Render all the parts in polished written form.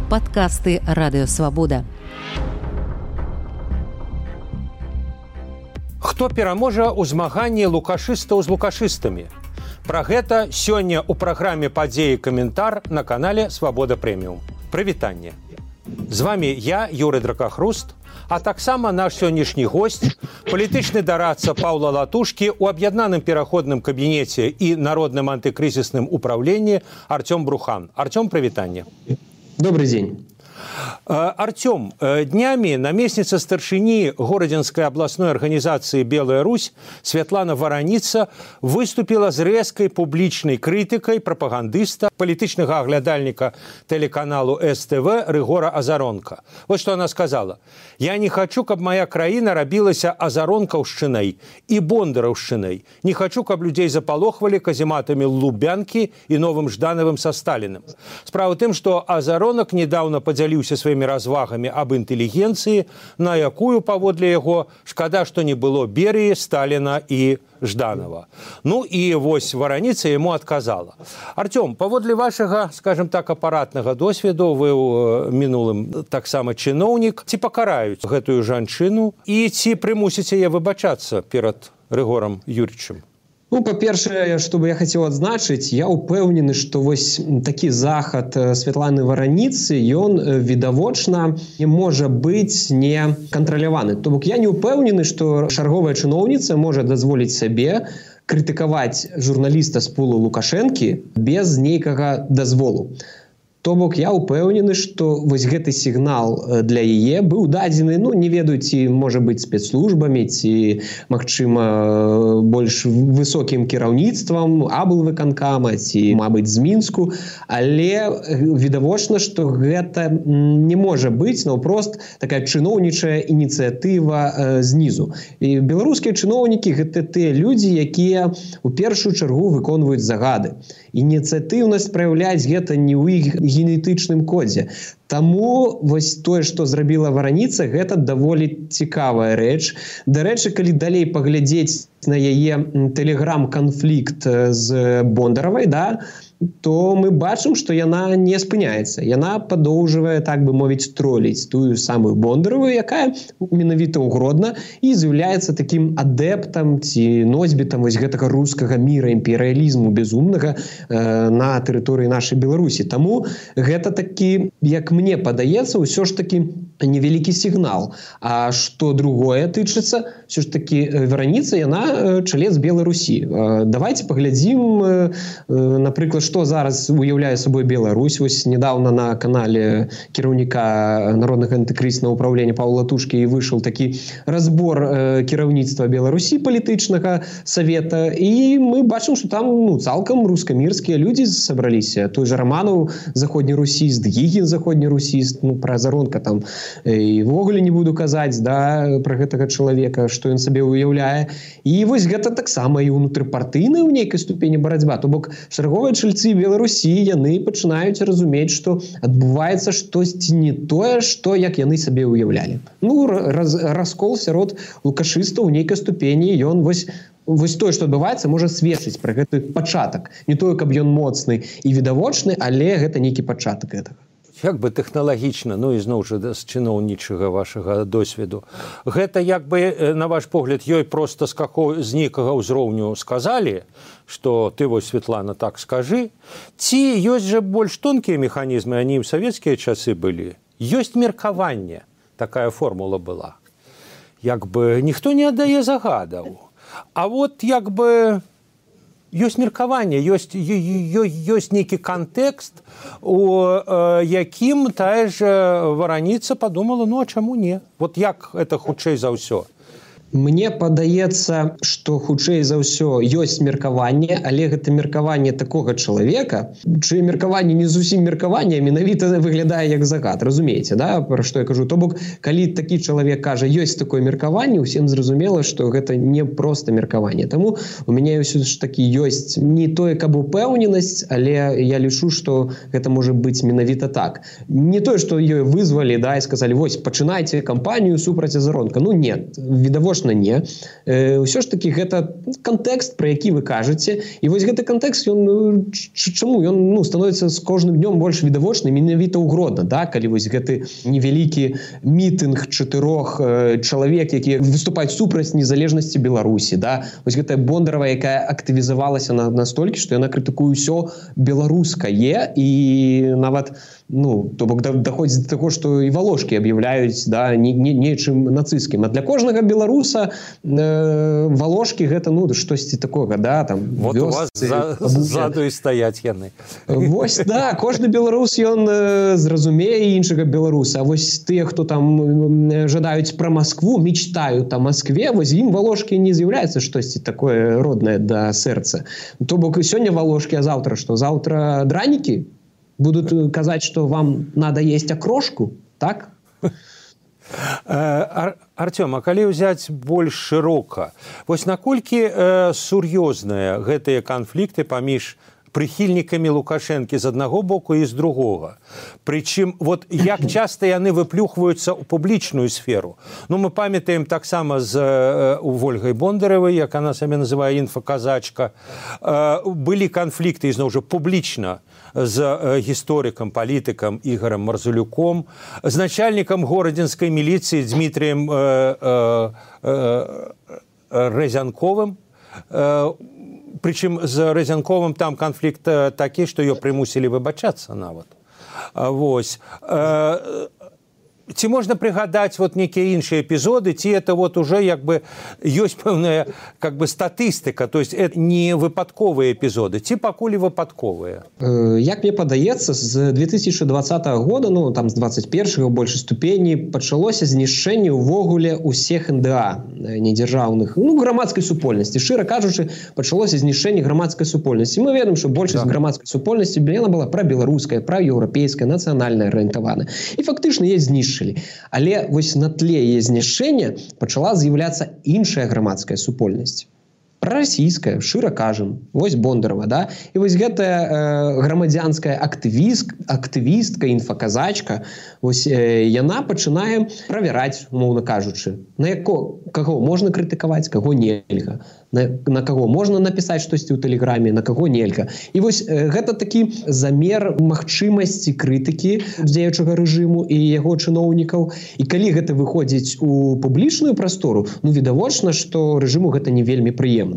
Падкасты Радыёвабода. Хто пераможа ў змаганні лукашыстаў з лукашыстамі? Пра гэта сёння ў праграме «Падзеі каментар» на канале «Свабода Прэміум». Прывітанне. З вами я, Юрый Дракахруст, а таксама наш сённяшні госць, палітычны дарадца Паўла Латушкі ў аб'яднаным пераходным кабінеце і народным антыкрызісным управленні Артём Брухан. Артём, прывітанне. Добрый день. Артём, днямі намесніца старшыні Горадзенскай абласной арганізацыі «Белая Русь» Святлана Вараніца выступіла з рэзкай публічнай крытыкай прапагандыста, палітычнага аглядальніка тэлеканалу СТВ Рыгора Азаронка. Вот што она сказала. «Я не хочу, каб моя краіна рабілася азаронкаўшчынай і бондараўшчынай. Не хочу, каб людзей запалохвалі казематамі Лубянкі і Новым Ждановым са Сталіным. Справа ў тым, што Азаронак недаўна падзяліўся сваімі развагамі аб інтэлігенцыі, на якую, паводле яго, шкада, што не было Берыі, Сталіна і Жданова». Ну і вось Вараніца яму адказала. Артём, паводле вашага, скажем так, апаратнага досведу, вы ў мінулым таксама чыноўнік, ці пакараюць гэтую жанчыну і ці прымусіць яе выбачацца перад Рыгорам Юрьевичем? Ну, па-першае, што бы я хацеў адзначыць, я ўпэўнены, што вось такі захад Святланы Вараніцы, ён відавочна не можа быць не кантраляваны. То бок я не ўпэўнены, што чарговая чыноўніца можа дазволіць сабе крытыкаваць журналіста з пулу Лукашэнкі без нейкага дазволу. То бок я ўпэўнены, што вось гэты сігнал для яе быў дадзены, ну, не ведаю, ці можа быць спецслужбамі, ці, магчыма, больш высокім кіраўніцтвам аблвыканкама, ці, мабыць, з Мінску, але відавочна, што гэта не можа быць наўпрост такая чыноўнічая ініцыятыва знізу. І беларускія чыноўнікі – гэта тыя людзі, якія ў першую чаргу выконваюць загады. Ініцыятыўнасць праяўляць гэта не ў іх генетычным кодзе. Таму вось тое, што зрабіла Вараніца, гэта даволі цікавая рэч. Дарэчы, калі далей паглядзець на яе тэлеграм-канфлікт з Бондаравай, да, то мы бачым, што яна не спыняецца. Яна падоўжвае, так бы мовіць, троліць тую самую Бондараву, якая менавіта ў Гродна і з'яўляецца такім адэптам ці носьбітам вось гэтага рускага міра, імперыялізму безумнага на тэрыторыі нашай Беларусі. Таму гэта такі, як мне падаецца, ўсё ж такі невялікі сігнал. А што другое тычыцца, ўсё ж такі Вараніца, яна чалец Беларусі. Давайце паглядзім, напрыклад, што зараз уяўляе сабой Беларусь. Вось недаўна на канале кіраўніка Народнага антыкрызіснага ўправлення Паўла Латушкі выйшаў такі разбор кіраўніцтва Беларусі палітычнага савета, і мы бачым, што там цалкам рускамірскія людзі сабраліся. Той жа Раманаў заходнерусіст, Гігін заходнерусіст, пра Азаронка там і ввогуле не буду казаць, да, пра гэтага чалавека, што ён сабе уяўляе. І вось гэта таксама і ўнутрыпартыйная ў нейкай ступені барацьба. То бок чарговыя чальцы Беларусі, яны пачынаюць разумець, што адбываецца штосьці не тое, што як яны сабе уяўлялі. Ну, раскол сярод лукашыстаў у нейкай ступені, ён вось тое, што адбываецца, можа сведчыць пра гэты пачатак. Не тое, каб ён моцны і відавочны, але гэта нейкі пачатак гэтага. Як бы тэхналагічна, ну і зноў жа з чыноўнічага вашага досведу, гэта як бы, на ваш погляд, ёй проста з нейкага ўзроўню сказалі, што ты вось, Светлана, так скажы, ці ёсць жа больш тонкія механізмы, они ў савецкія часы былі. Ёсць меркаванне, такая формула была. Як бы ніхто не аддае загадаў. А вот як бы ёсць меркаванне, ёсць нейкі кантэкст, у якім тая ж Вараніца падумала, ну а чаму не? Вот як это хутчэй за ўсё? Мне падаецца, што хутчэй за ўсё ёсць меркаванне, але гэта меркаванне такога чалавека, чые меркаванне не зусім меркаванне, менавіта выглядае як загад, разумееце, да, пра што я кажу. То бок, калі такі чалавек кажа, ёсць такое меркаванне, усім зразумела, што гэта не проста меркаванне. Таму у мяне ўсё ж такі ёсць не тое, каб упэўненасць, але я лічу, што гэта можа быць менавіта так. Не тое, што ёй вызвалі, да, і сказалі, вось, пачынайце кампанію супраць Азаронка. Ну, нет, відавочна, відавочна не. Ўсё ж таки гэта кантэкст, про які вы кажаце, і вось гэты кантэкст чаму ён становіцца з кожным днём больш відавочным, менавіта ў Гродна, да? Калі вось гэты невялікі мітынг 4 чалавек, якія выступаюць супраць незалежнасці Беларусі, да? Вось гэтая Бондарова, якая актывізавалася настолькі, што яна крытыкуе ўсё беларускае, і нават то бок даходзіць да таго, што і Валошкі аб'яўляюць, да, нечым нацысцкім. А для кожнага беларуса Валошкі гэта штосьці такога, да, там вот вёсцы, у вас ззаду і стаяць яны. Вось, да, кожны беларус ён зразумее іншага беларуса. А вось тыя, хто там жадаюць пра Маскву, мечтаюць о Маскве, вось ім Валошкі не з'яўляецца штосьці такое роднае да сэрца. То бок сёння Валошкі, а заўтра што? Заўтра дранікі будут казаць, што вам надо есть акрошку, так? Артём, а калі ўзяць больш шырока, вось наколькі сур'ёзныя гэтыя канфлікты паміж прыхільнікамі Лукашэнкі з аднаго боку і з другога. Прычым, вот як часта яны выплюхваюцца ў публічную сферу. Мы памятаем таксама з Вольгай Бондаравай, як она сабе называе інфаказачка. Былі канфлікты, ізноў жа, публічна з гісторыкам, палітыкам Ігорам Марзулюком, з начальнікам горадзенскай міліцыі Дмітрыем Рэзянковым. Причем з Рэзянковым там канфлікт такі, што ёй прымусілі выбачацца нават. Вось. Ці можна прыгадаць вот некія іншыя эпізоды, ці это вот уже як бы ёсць пэўная как бы статыстыка, то есть это не выпадковыя эпізоды, ці пакуль выпадковыя? Як мне падаецца, з 2020 года, там з 21-го ў большай ступені пачалося знішчэнне ўвогуле ўсіх НДА недзяржаўных, грамадскай супольнасці. Шчыра кажучы, пачалося знішчэнне грамадскай супольнасці. Мы ведаем, што большасць грамадскай супольнасці яна была прабеларуская, праеўрапейская, нацыянальная арыентаваная. І фактычна яе знішчылі. Але вось на тле яе знішчэння пачала з'яўляцца іншая грамадская супольнасць. Прарасійская, шчыра кажам, вось Бондарова, да? І вось гэтая грамадзянская актывістка, інфаказачка, вось яна пачынае правяраць, умоўна кажучы, на каго можна крытыкаваць, каго нельга, на каго можна напісаць штосьці ў тэлеграме, на каго нельга. І вось гэта такі замер магчымасці крытыкі дзеючага рэжыму і яго чыноўнікаў. І калі гэта выходзіць у публічную прастору, відавочна, што рэжыму гэта не вельмі прыемна.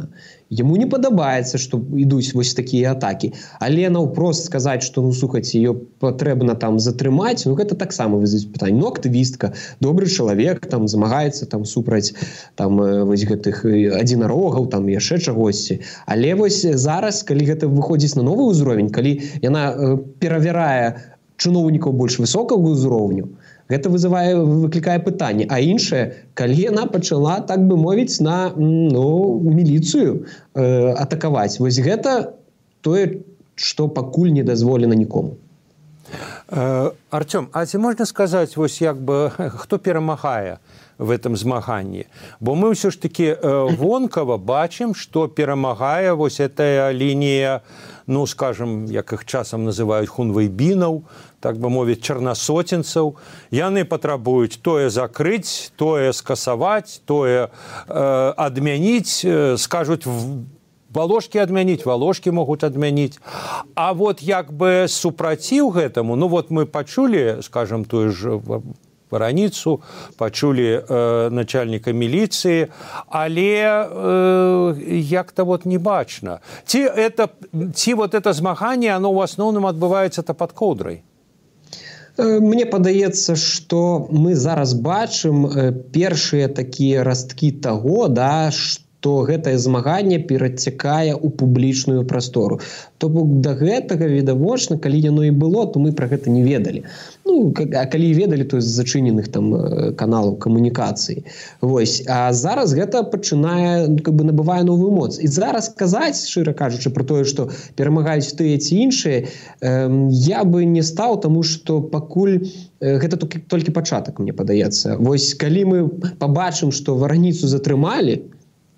Яму не падабаецца, што ідуць вось такія атакі. Але наўпрост сказаць, што, слухайце, ее патрэбна там затрымаць, гэта таксама вызываць пытанне. Актывістка, добры чалавек, там замагаецца там супраць там вось гэтых адзінарогаў, там яшчэ чагосьці. Але вось зараз, калі гэта выходзіць на новы ўзровень, калі яна перавярае чыноўнікаў больш высокага ўзроўню, гэта выклікае пытанне. А іншае, калі яна пачала, так бы мовіць, на міліцыю атакаваць. Вось гэта тое, што пакуль не дазволена нікому. Артём, а ці можна сказаць, вось як бы, хто перамагае в этом змаганні? Бо мы ўсё ж таки вонкава бачым, што перамагае вось эта лінія, скажем, як іх часам называюць хунвейбінаў, так бы мовіць, чарнасоценцаў. Яны патрабуюць тое закрыць, тое скасаваць, тое адмяніць, скажуць, Валошкі адмяніць, Валошкі могуць адмяніць. А вот як бы супраціў гэтаму, мы пачулі, скажем, тую ж Вараніцу, пачулі начальніка міліцыі, але як-то вот не бачна. Ці вот это змаганне, оно ў асноўным адбываецца-то пад коўдрай? Мне падаецца, што мы зараз бачым першыя такія расткі таго, да, што гэтае змаганне перацякае ў публічную прастору. То бок да гэтага відавочна, калі яно і было, то мы пра гэта не ведалі. А калі ведалі, то з зачыненых там каналаў камунікацыі. Вось. А зараз гэта пачынае, набывае новую моц. І зараз казаць, шчыра кажучы, пра тое, што перамагаюць тыя ці іншыя, я бы не стаў, таму што пакуль гэта толькі пачатак, мне падаецца. Вось калі мы пабачым, што Вараніцу затрымалі,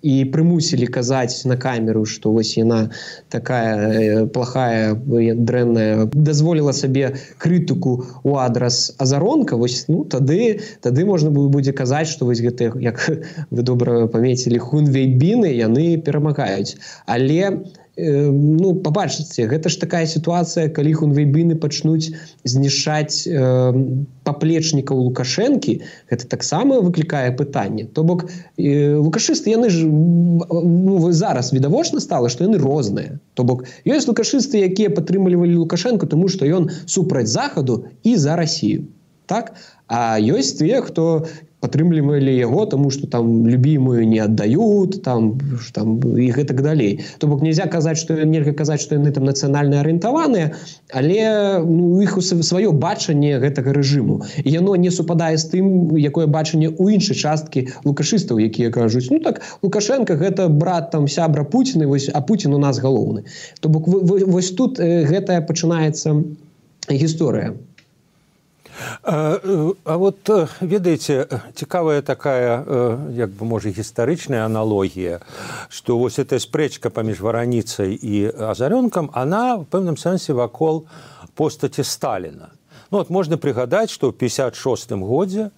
і прымусілі казаць на камеру, што вось яна такая плохая, дрэнная, дазволіла сабе крытыку ў адрас Азаронка, вось, ну, тады можна будзе казаць, што вось гэтыя, як вы добра памяцілі, хунвейбіны, яны перамагаюць. Але ну, пабачыце, гэта ж такая сітуацыя, калі хунвейбіны пачнуць знішчаць паплечнікаў Лукашэнкі, гэта таксама выклікае пытанне. То бок, лукашысты, яны ж зараз відавочна стала, што яны розныя. То бок, ёсць лукашысты, якія падтрымлівалі Лукашэнку, тому што ён супраць Захаду і за Расію. Так? А ёсць тыя, хто падтрымлівалі яго, тому што там любімую не аддаюць, там і гэтак далей. То бок нельзя казаць, што яны там нацыянальна арыентаваныя, але ну, у іх сваё бачанне гэтага рэжыму. І яно не супадае з тым, якое бачанне ў іншай часткі лукашыстаў, якія кажуць, ну так, Лукашенко гэта брат там сябра Пуціна, а Пуцін у нас галоўны. То бок вось тут гэтая пачынаецца гісторыя. А вот, ведаеце, цікавая такая, як бы, можа, гістарычная аналогія, што вось эта спрэчка паміж Вараніцай і Азарёнкам, она в пэўным сэнсе вакол постаці Сталіна. Ну, вот можна прыгадаць, што ў 56-м годзе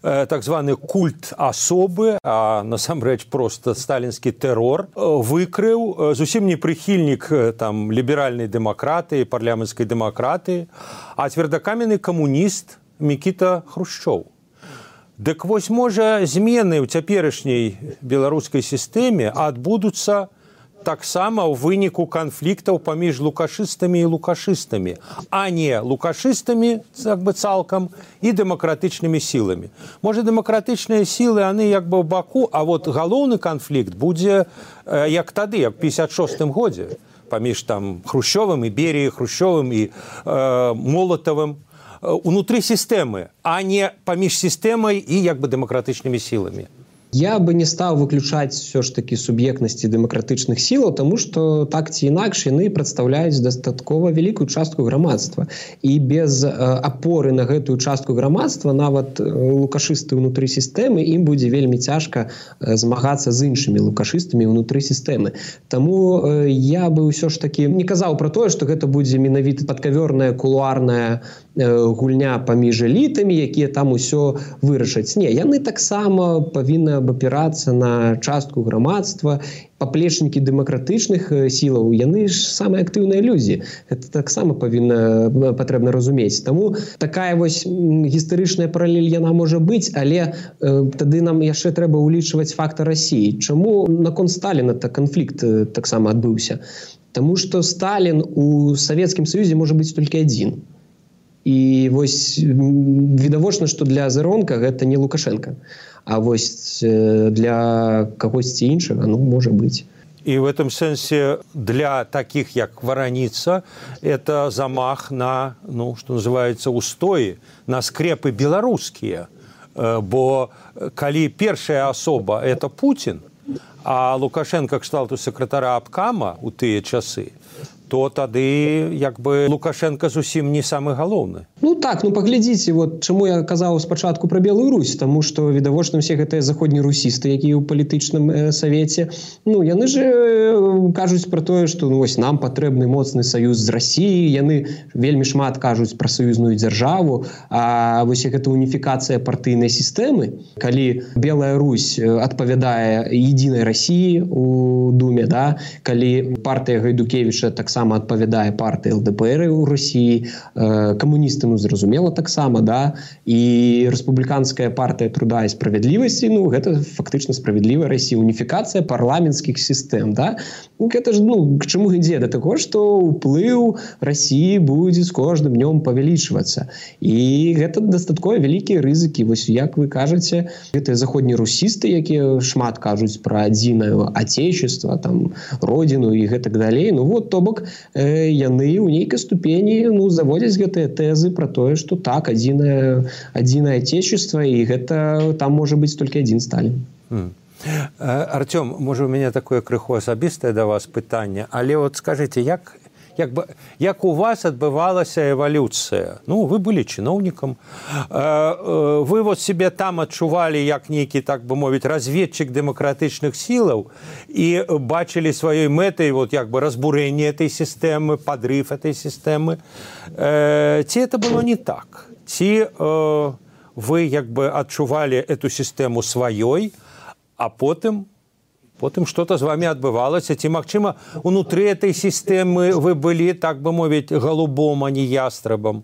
так званы культ асобы, а насамрэч проста сталінскі тэрор, выкрыў зусім не прыхільнік там ліберальнай дэмакратыі, парламенцкай дэмакратыі, а цвердакаменны камуніст Мікіта Хрушчоў. Дык вось, можа, змены ў цяперашняй беларускай сістэме адбудуцца таксама ў выніку канфліктаў паміж лукашыстамі і лукашыстамі, а не лукашыстамі, як бы, цалкам, і дэмакратычнымі сіламі. Можа, дэмакратычныя сілы, яны як бы ў баку, а вот галоўны канфлікт будзе як тады, як в 56-м годзе, паміж там Хрушчовым і Беріяй, Хрушчовым і Молатавым, унутры сістэмы, а не паміж сістэмай і як бы дэмакратычнымі сіламі. Я бы не стаў выключаць все ж таки суб'ектнасці дэмакратычных сілаў, тому што так ці інакш яны прадстаўляюць дастаткова вялікую частку грамадства. І без апоры на гэтую частку грамадства нават лукашысты ўнутры сістэмы ім будзе вельмі цяжка змагацца з іншымі лукашыстамі ўнутры сістэмы. Таму я бы ўсё ж таки не казаў пра тое, што гэта будзе менавіта падкавёрная кулуарная гульня паміж элітамі, якія там усё вырашаць. Не, яны таксама павінны абапірацца на частку грамадства. Паплечнікі дэмакратычных сілаў, яны ж самыя актыўныя людзі. Гэта таксама патрэбна разумець. Таму такая вось гістарычная паралель яна можа быць, але тады нам яшчэ трэба ўлічваць фактар Расіі. Чаму наконт Сталіна канфлікт таксама адбыўся? Таму што Сталін у Савецкім Саюзе можа быць толькі адзін. І вось відавочна, што для Азаронка гэта не Лукашенко, а вось для кагосьці іншага, ну, можа быць. И в этом сенсе для таких, як Вараніца, это замах на, ну, что называется, устои, на скрепы белорусские. Бо калі першая асоба – это Путин, а Лукашенко кшталту сакратара абкама ў тыя часы, то тады, як бы, Лукашенко зусім не самы галоўны. Ну так, ну паглядзіце, вот чаму я казаў спачатку пра Белую Русь, таму што відавочна ўсе гэтыя заходнерусісты, якія ў палітычным савеце, ну яны ж кажуць пра тое, што ну, вось нам патрэбны моцны саюз з Расіяй, яны вельмі шмат кажуць пра саюзную дзяржаву, а вось гэта уніфікацыя партыйнай сістэмы, калі Белая Русь адпавядае единай Расіі у Думе, да, калі партыя Гайдукевіча таксама адпавядае партыі ЛДПР у Расіі, камуністы, ну, зразумела таксама, да, і рэспубліканская партыя труда і справядлівасці, ну, гэта фактычна справядлівая Расія, уніфікацыя парламенцкіх сістэм, да. Ну, гэта ж, ну, к чаму ідзе? Да таго, што ўплыў Расіі будзе з кожным днём павялічвацца. І гэта дастаткова вялікія рызыкі. Вось, як вы кажаце, гэтыя заходнерусісты, якія шмат кажуць пра адзінае отечество, там, родину і гэтак далей, ну, вот, то бок, яны ў нейкай ступені, ну, заводзяць гэтыя тэзы пра тое, што так, адзінае отечество, і гэта там можа быць толькі адзін Сталін. Артём, можа, у мяне такое крыху асабістае да вас пытанне, але вот скажыце, як як у вас адбывалася эвалюцыя? Ну, вы былі чыноўнікам. Вы вот себе там адчувалі як нейкі, так бы мовіць, разведчик демократычных сілаў і бачылі сваёй мэтай вот як бы разбурэнне этой сістэмы, подрыв этой сістэмы. Ці это было не так? Ці вы як бы адчувалі эту сістэму сваёй, а потым что-то з вами адбывалася? Ці, магчыма, унутры этой сістэмы вы былі, так бы мовіць, голубом, а не ястрабам?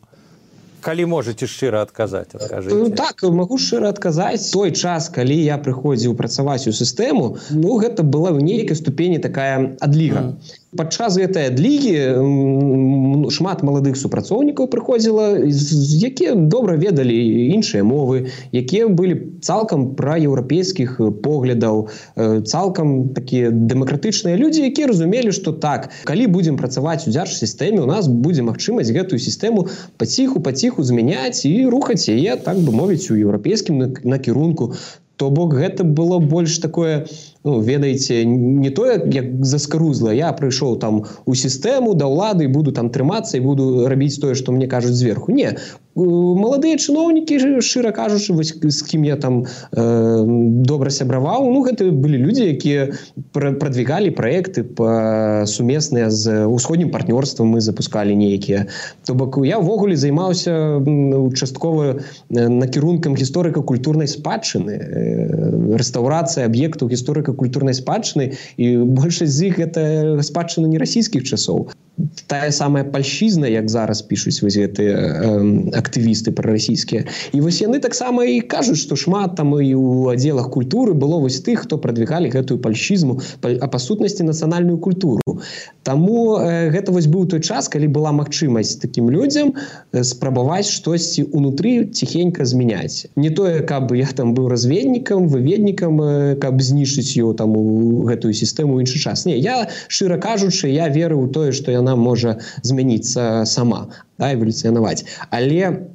Калі можете шчыра адказаць, адкажыце. Так, магу шчыра адказаць. Той час, калі я прыходзіў працаваць у сістэму, ну, гэта была ў нейкай ступені такая адліга. Падчас гэтай адлігі шмат маладых супрацоўнікаў прыходзіла, якія добра ведалі іншыя мовы, якія былі цалкам праеўрапейскіх поглядаў, цалкам такія дэмакратычныя людзі, якія разумелі, што так, калі будзем працаваць у дзяржсістэме, у нас будзе магчымасць гэтую сістэму паціху змяняць і рухаць яе, так бы мовіць, у еўрапейскім накірунку. То бок гэта было больш такое, ну, ведаеце, не тое, як заскарузла. Я прыйшоў там у сістэму да ўлады і буду там трымацца і буду рабіць тое, што мне кажуць зверху. Не, маладыя чыноўнікі, шчыра кажучы, з кім я там добра сябраваў, ну, гэта былі людзі, якія прадвігалі праекты сумесныя з усходнім партнёрствам, мы запускалі нейкія. То бок я ўвогуле займаўся часткова накірункам гісторыка-культурнай спадчыны, рэстаўрацыя аб'ектаў гісторыка-культурнай спадчыны, і большасць з іх гэта спадчына не расійскіх часоў. Тая самая пальшчызна, як зараз пішуць вось гэтыя актывісты прарасійскія. І вось яны таксама і кажуць, што шмат там і ў аддзелах культуры было вось тых, хто прадвігалі гэтую пальшчызму, а па сутнасці нацыянальную культуру. Таму гэта вось быў той час, калі была магчымасць такім людзям спрабаваць штосьці ўнутры ціхенька змяняць. Не тое, каб я там быў разведнікам, выведнікам, каб знішчыць ёй там у гэтую сістэму ў іншы час. Не, я, шчыра кажучы, я веру ў тое, што яна можа змяніцца сама, да, эвалюцыянаваць. Але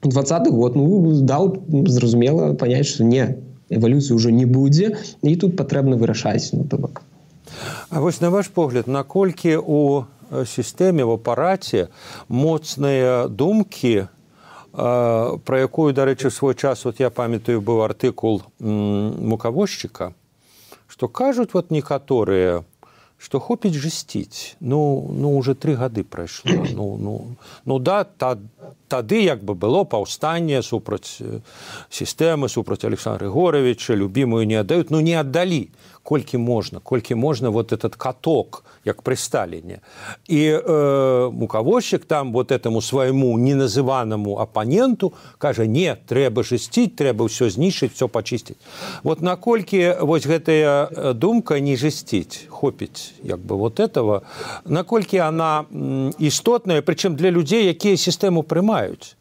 20-й год, ну, даў зразумела паняць, што не, эвалюцыі ўжо не будзе, і тут патрэбна вырашаць, ну, то бок. А вось на ваш погляд, наколькі у сістэме, в апараце моцныя думкі, про якую, дарэчы, свой час, вот я памятаю, быў артыкул мукавозчыка, што кажуць вот некаторыя, што хопіць жысціць. Ну, уже 3 гады прайшло. Ну да, тады як бы было паўстанне супраць сістэмы, супраць Александра Григоровича, любімую не аддаюць, ну не аддалі. Колькі можна вот этот каток, як пры Сталіне. І мукавозчык там вот этому свайму неназыванаму апаненту кажа, не, трэба жысціць, трэба ўсё знішчыць, ўсё пачысціць. Вот наколькі вось гэтая думка не жысціць, хопіць як бы вот этого, наколькі она істотная, прычым для людзей, якія сістэму прымаюць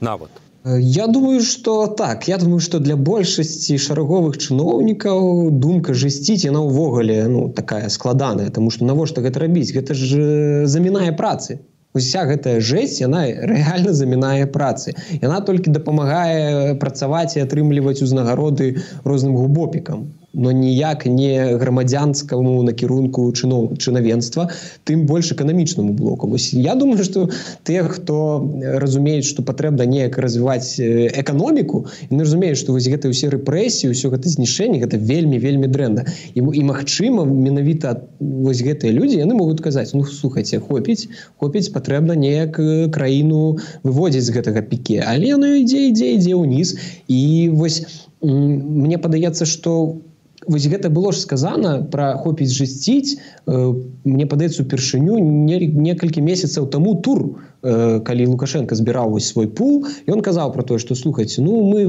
нават. Я думаю, што так. Я думаю, што для большасці шараговых чыноўнікаў думка жысціць, яна ўвогуле, ну, такая складаная, таму што навошта гэта рабіць? Гэта ж замінае працы. Уся гэтая жэсць, яна рэальна замінае працы. Яна толькі дапамагае працаваць і атрымліваць узнагароды розным губопікам. Но ніяк не грамадзянскаму накірунку чынавенства, тым больш эканамічнаму блоку. Я думаю, што тыя, хто разумеюць, што патрэбна неяк развіваць эканоміку, яны разумеюць, што вось гэтыя ўсе рэпрэсіі, ўсё гэта знішчэнне, гэта вельмі дрэнна. І магчыма, менавіта вось гэтыя людзі, яны могуць казаць, ну, слухайце, хопіць, патрэбна неяк краіну выводзіць з гэтага піке. Але яно ідзе ўніз. І вось мне падаецца, што вось гэта было ж сказана пра хопіць жысціць, мне падаецца упершыню некалькі месяцаў таму тур, калі Лукашенко збіраў вось свой пул, і ён казаў пра тое, што слухайце, ну мы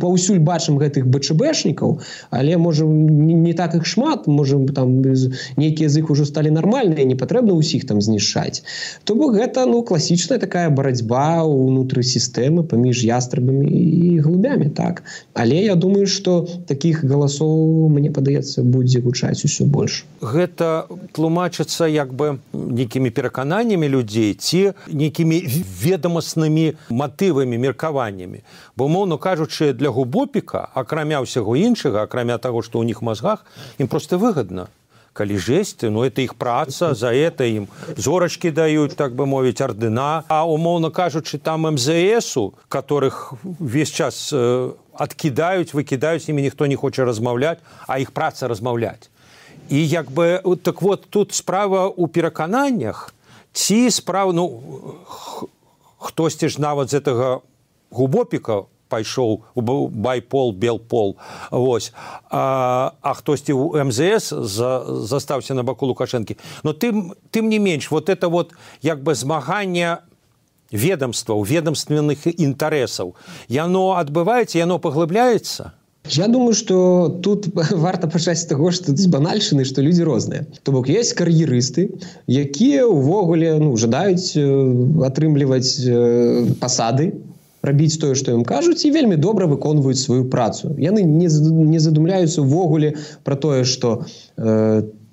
паўсюль бачым гэтых БЧБшнікаў, але можа не так іх шмат, можа там нейкія з іх ужо сталі нармальныя, не патрэбна ўсіх там знішчаць. То бок гэта, ну, класічная такая барацьба ўнутры сістэмы паміж ястрабамі і голубямі, так. Але я думаю, што такіх галасоў, мне падаецца, будзе гучаць усё больш. Гэта тлумачыцца як бы нейкімі перакананнямі людзей ці нейкімі ведамаснымі матывамі, меркаваннямі. Бо, умоўна кажучы, для губопіка, акрамя ўсяго іншага, акрамя таго, што ў них мазгах, ім проста выгадна. калі жесць, ну это іх праца, за это ім зорачкі даюць, так бы мовіць, ардына, а умоўна кажучы, там МЗСу, которых весь час адкідаюць, выкідаюць, з імі ніхто не хоча размаўляць, а іх праца размаўляць. І як бы, так вот, тут справа ў перакананнях, ці справа, ну, хтосьці ж нават з гэтага губопіка пайшоў у байпол, белпол, вось, а хтосьці ў МЗС застаўся на баку Лукашэнкі. Но тым не менш, вот это вот як бы змаганне ведомстваў, ведомственных інтарэсаў, яно адбываецца, яно паглыбляецца? Я думаю, что тут варта пачаць з таго, што з банальшчыны, што людзі розныя. То бок ёсць кар'ерысты, якія ўвогуле жадаюць атрымліваць пасады, рабіць тое, што ім кажуць, і вельмі добра выконваюць сваю працу. Яны не задумляюцца ўвогуле пра тое, што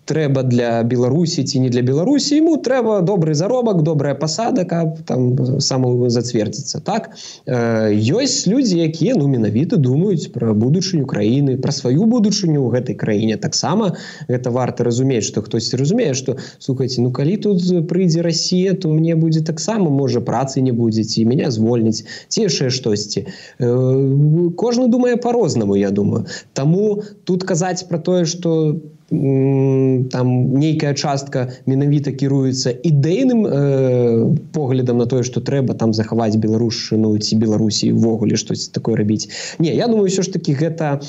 трэба для Беларусі ці не для Беларусі, яму трэба добры заробак, добрая пасада, каб там самому зацвердзіцца. Так? Ёсць людзі, якія менавіта думаюць пра будучыню краіны, пра сваю будучыню ў гэтай краіне. Таксама гэта варта разумець, што хтосьці разумее, што, слухайце, калі тут прыйдзе Расія, то мне будзе таксама, можа, працы не будзе, ці мяне звольніць, ці яшчэ штосьці. Кожны думае па-рознаму, я думаю. Таму тут казаць пра тое, што там нейкая частка менавіта кіруецца ідэйным поглядам на тое, што трэба там захаваць беларушчыну ці Беларусі ўвогуле штось такое рабіць. Не, я думаю, ўсё ж такі гэта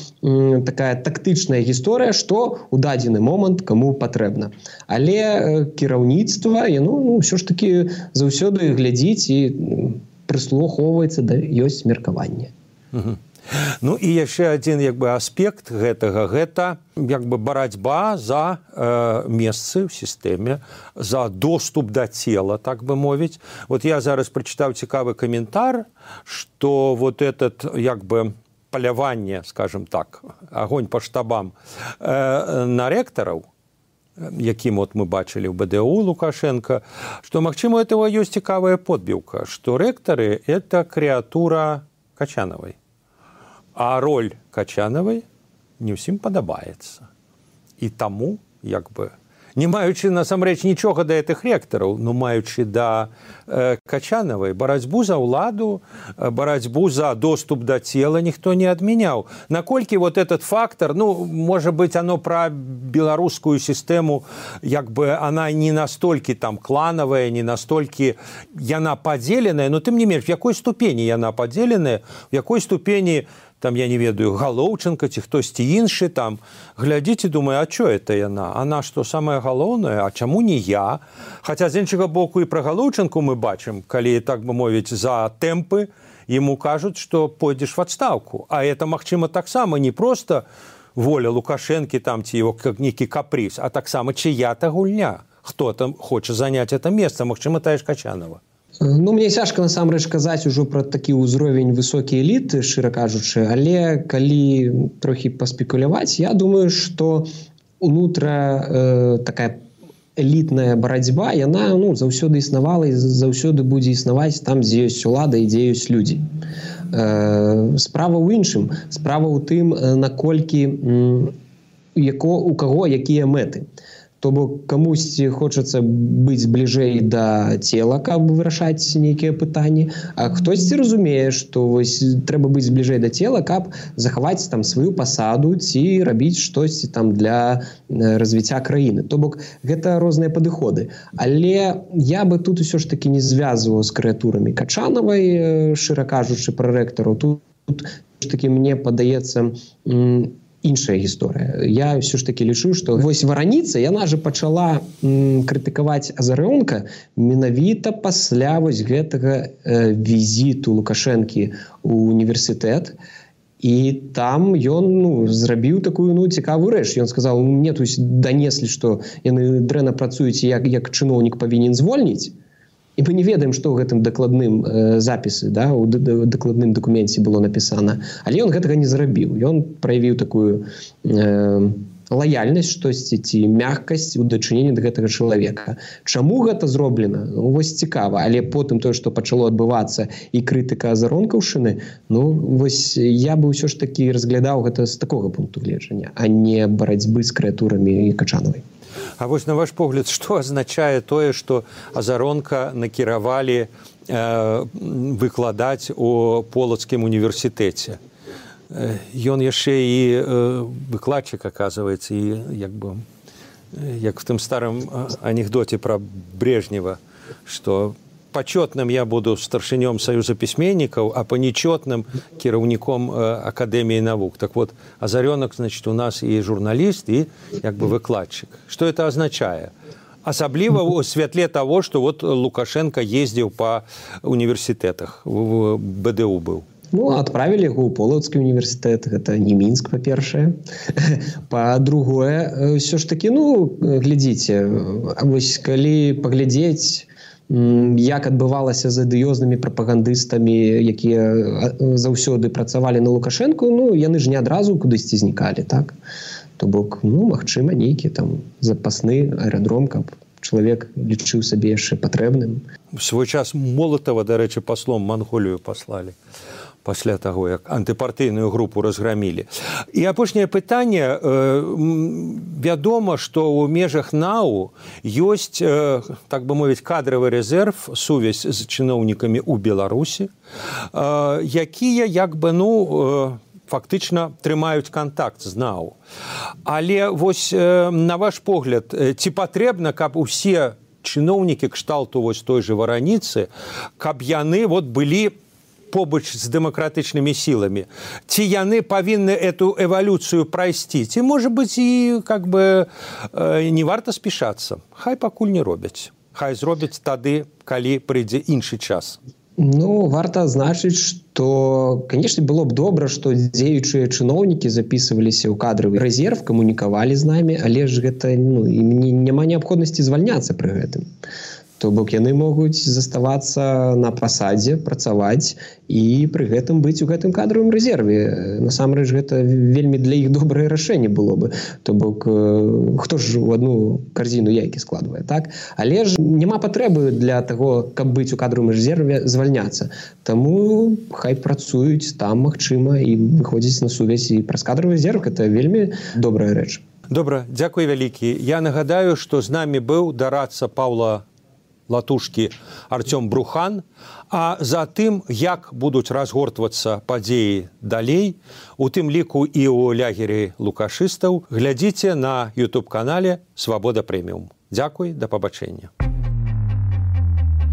такая тактычная гісторыя, што ў дадзены момант каму патрэбна. Але кіраўніцтва, яно ўсё ж такі заўсёды глядзіць і прыслухоўваецца да ёсць меркаванне. Ну і яшчэ адзін як бы аспект гэтага, гэта як бы барацьба за месцы ў сістэме, за доступ да цела, так бы мовіць. Вот я зараз прачытаў цікавы каментар, што вот этот як бы паляванне, скажем так, агонь па штабам на рэктараў, якім вот мы бачылі ў БДУ Лукашенко, што, магчыма, этого ёсць цікавая подбіўка, што рэктары – это крэатура Качанавай. А роль Качанавай не ўсім падабаецца. І таму, як бы, не маючы насамрэч нічога да гэтых рэктараў, но маючы да Качанавай, барацьбу за ўладу, барацьбу за доступ да цела ніхто не адмяняў. Наколькі вот этот фактор, можа быць, оно пра беларускую сістэму, як бы, она не настолькі там кланавая, не настолькі яна падзеленая, но тым не менш, в якой ступені яна падзеленая, в якой ступені там, я не ведаю, Галоўченко ці хтосьці іншы там, глядзіць і думае, а чё это яна? Она што, самае галоўнае? А чаму не я? Хаця з іншага боку і пра Галоўченку мы бачым, калі, так бы мовіць, за тэмпы яму кажуць, што пойдзеш в адстаўку. А это, магчыма, таксама не проста воля Лукашэнкі там ці его нейкі капрыз, а таксама чыя-то гульня. Хто там хоча заняць это месца, магчыма, тая ж Качанова. Мне цяжка насамрэч казаць ужо пра такі ўзровень высокі эліты, шчыра кажучы, але калі трохі паспекуляваць, я думаю, што унутра такая элітная барацьба, яна заўсёды існавала і заўсёды будзе існаваць там, дзе ёсць улада і дзе ёсць людзі. Справа ў іншым, справа ў тым, наколькі у каго якія мэты. То бок камусьці хочацца быць бліжэй да цела, каб вырашаць нейкія пытанні, а хтосьці разумее, што трэба быць бліжэй да цела, каб захаваць там сваю пасаду ці рабіць штосьці там для развіцця краіны. То бок гэта розныя падыходы. Але я бы тут усё ж такі не звязваў з крэатурамі Качанавай, шчыра кажучы, пра рэктараў. Тут такі мне падаецца іншая гісторыя. Я ўсё ж такі лічу, што Вараніца, яна же пачала крытыкаваць Азарёнка менавіта пасля гэтага візіту Лукашэнкі ў універсітэт. І там ён зрабіў такую цікавую рэч. Ён сказаў, мне тут данеслі, што яны дрэнна працуюць, як чыноўнік павінен звольніць. І мы не ведаем, што ў гэтым дакладным запісы, у дакладным дакуменце было напісана. Але ён гэтага не зрабіў. Ён праявіў такую лаяльнасць штосьці ці мяккасць у дачыненні да гэтага чалавека. Чаму гэта зроблена? Ну, вось цікава, але потым тое, што пачало адбывацца і крытыка азаронкаўшчыны, ну, вось я бы ўсё ж такі разглядаў гэта з такога пункту гледжання, а не барацьбы з крэатурамі Качанавай. А вось на ваш погляд, што азначае тое, што Азаронка накіравалі выкладаць у Полацкім універсітэце? Ён яшчэ і выкладчык, аказваецца, і як в тым старым анекдоце пра Брежнева, што пачётным я буду старшынём Саюза пісьменнікаў, а па нечётным кіраўніком Акадэміі навук. Так вот, Азарёнак, значит, у нас і журналіст, і выкладчык. Што это азначае? Асабліва ў святле таго, што вот Лукашенко ездзіў па універсітэтах, в БДУ быў. Ну, адправілі яго ў Полацкі універсітэт, гэта не Мінск, па-першае. Па-другое, ўсё ж такі, ну, глядзіце, вось калі паглядзець, як адбывалася з адыёзнымі прапагандыстамі, якія заўсёды працавалі на Лукашэнку, ну, яны ж не адразу кудысьці знікалі, так? То бок, ну, магчыма, нейкі там запасны аэрадром, каб чалавек лічыў сабе яшчэ патрэбным. В свой час Молатава, дарэчы, паслом Манголію паслалі пасля таго, як антыпартыйную групу разграмілі. І апошняе пытанне. Вядома, што ў межах НАУ ёсць, так бы мовіць, кадравы рэзерв, сувязь з чыноўнікамі ў Беларусі, якія, фактычна трымаюць кантакт з НАУ. Але вось, на ваш погляд, ці патрэбна, каб усе чыноўнікі кшталту вось той же Вараніцы, каб яны былі побач з дэмакратычнымі сіламі? Ці яны павінны эту эвалюцыю прайсці? Ці, можа быць, і не варта спішацца? Хай пакуль не робяць. Хай зробяць тады, калі прыйдзе іншы час. Ну, варта адзначыць, што, канешне, было б добра, што дзеючыя чыноўнікі запісваліся ў кадравы рэзерв, камунікавалі з намі, але ж гэта, няма неабходнасці звальняцца пры гэтым. То бок яны могуць заставацца на пасадзе, працаваць і пры гэтым быць у гэтым кадравым рэзерве. Насамрэч, гэта вельмі для іх добрае рашэнне было бы. То бок, хто ж у адну карзіну яйкі складвае, так? Але ж няма патрэбы для таго, каб быць у кадравым рэзерве, звальняцца. Таму хай працуюць там, магчыма, і выходзіць на сувязь і праз кадравы рэзерв. Гэта вельмі добрая рэч. Добра, дзякуй вялікі. Я нагадаю, што з намі быў дарадца Паўла Латушкі Артём Брухан, а за тым, як будуць разгортвацца падзеі далей, у тым ліку і ў лагеры лукашыстаў, глядзіце на YouTube-канале «Свабода Прэміум». Дзякуй, да пабачэння.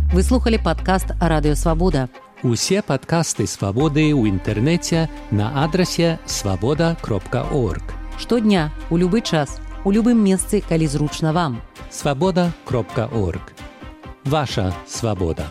Вы слухали падкаст «Радыё Свабода». Усе падкасты «Свабоды» ў інтэрнэце на адрасе свабода.орг. Штодня, у любы час, у любым месцы, калі зручна вам. Свабода.орг. Ваша свабода.